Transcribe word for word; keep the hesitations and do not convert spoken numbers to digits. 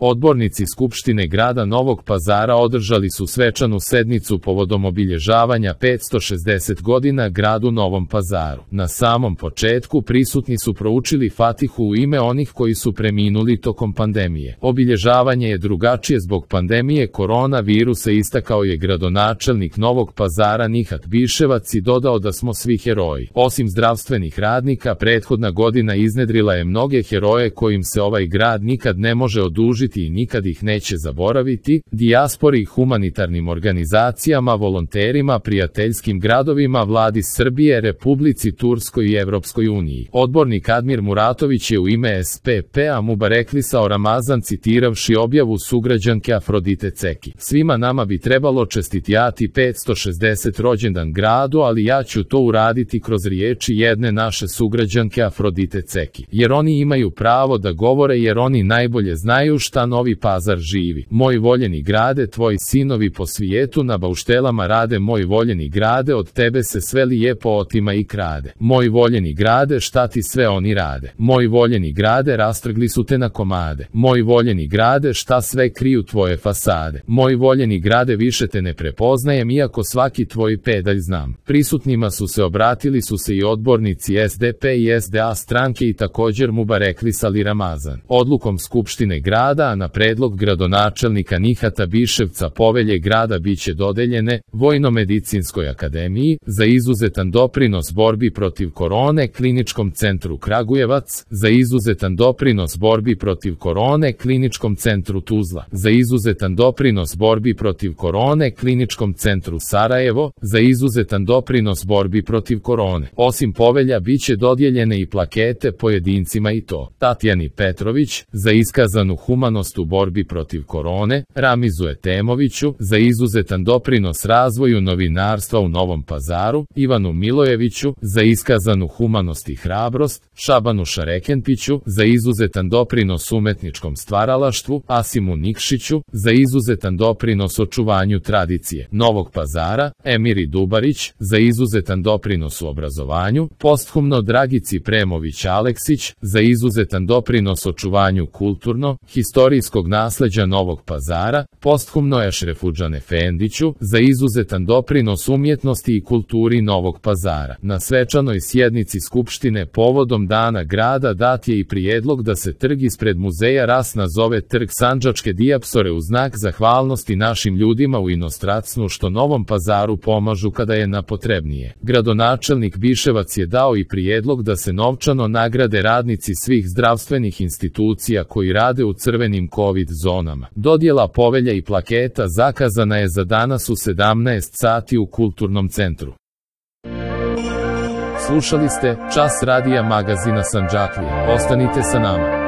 Odbornici Skupštine grada Novog Pazara održali su svečanu sednicu povodom obilježavanja petsto šezdeset godina gradu Novom Pazaru. Na samom početku prisutni su proučili Fatihu u ime onih koji su preminuli tokom pandemije. Obilježavanje je drugačije zbog pandemije koronavirusa, istakao je gradonačelnik Novog Pazara Nihat Biševac i dodao da smo svi heroji. Osim zdravstvenih radnika, prethodna godina iznedrila je mnoge heroje kojim se ovaj grad nikad ne može odužiti i nikad ih neće zaboraviti, dijaspori, humanitarnim organizacijama, volonterima, prijateljskim gradovima, vladi Srbije, Republici Turskoj i Evropskoj uniji. Odbornik Admir Muratović je u ime S P P-a Mubareklisao Ramazan citiravši objavu sugrađanke Afrodite Ceki. Svima nama bi trebalo čestitati petsto šezdeset rođendan gradu, ali ja ću to uraditi kroz riječi jedne naše sugrađanke Afrodite Ceki. Jer oni imaju pravo da govore, jer oni najbolje znaju šta Novi Pazar živi. Moj voljeni grade, tvoji sinovi po svijetu na bauštelama rade. Moj voljeni grade, od tebe se sve lijepo otima i krade. Moj voljeni grade, šta ti sve oni rade. Moj voljeni grade, rastrgli su te na komade. Moj voljeni grade, šta sve kriju tvoje fasade. Moj voljeni grade, više te ne prepoznajem, iako svaki tvoj pedalj znam. Prisutnima su se obratili su se i odbornici S D P i S D A stranke i također Mubareklisali Ramazan. Odlukom Skupštine grada, a na predlog gradonačelnika Nihata Biševca, povelje grada biće dodeljene Vojno-medicinskoj akademiji za izuzetan doprinos borbi protiv korone, Kliničkom centru Kragujevac za izuzetan doprinos borbi protiv korone, Kliničkom centru Tuzla za izuzetan doprinos borbi protiv korone, Kliničkom centru Sarajevo za izuzetan doprinos borbi protiv korone. Osim povelja biće dodijeljene i plakete pojedincima, i to Tatjani Petrović za iskazanu humanost u borbi protiv korone, Ramizu Etemoviću za izuzetan doprinos razvoju novinarstva u Novom Pazaru, Ivanu Milojeviću za iskazanu humanost i hrabrost, Šabanu Šarekenpiću za izuzetan doprinos umetničkom stvaralaštvu, Asimu Nikšiću za izuzetan doprinos očuvanju tradicije Novog Pazara, Emiri Dubarić za izuzetan doprinos u obrazovanju, posthumno Dragici Premović Aleksić za izuzetan doprinos očuvanju kulturno, historijskog nasleđa Novog Pazara, posthumno Ešrefudžan Efendiću za izuzetan doprinos umjetnosti i kulturi Novog Pazara. Na svečanoj sjednici Skupštine povodom Dana grada dat je i prijedlog da se trg ispred muzeja Ras nazove Trg Sandžačke dijapsore u znak zahvalnosti našim ljudima u inostranstvu što Novom Pazaru pomažu kada je napotrebnije. Gradonačelnik Biševac je dao i prijedlog da se novčano nagrade radnici svih zdravstvenih institucija koji rade u crvenim COVID zonama. Dodjela povelja i plaketa zakazana je za danas u sedamnaest sati u Kulturnom centru. Slušali ste Čas radija magazina Sandžaklija. Ostanite sa nama.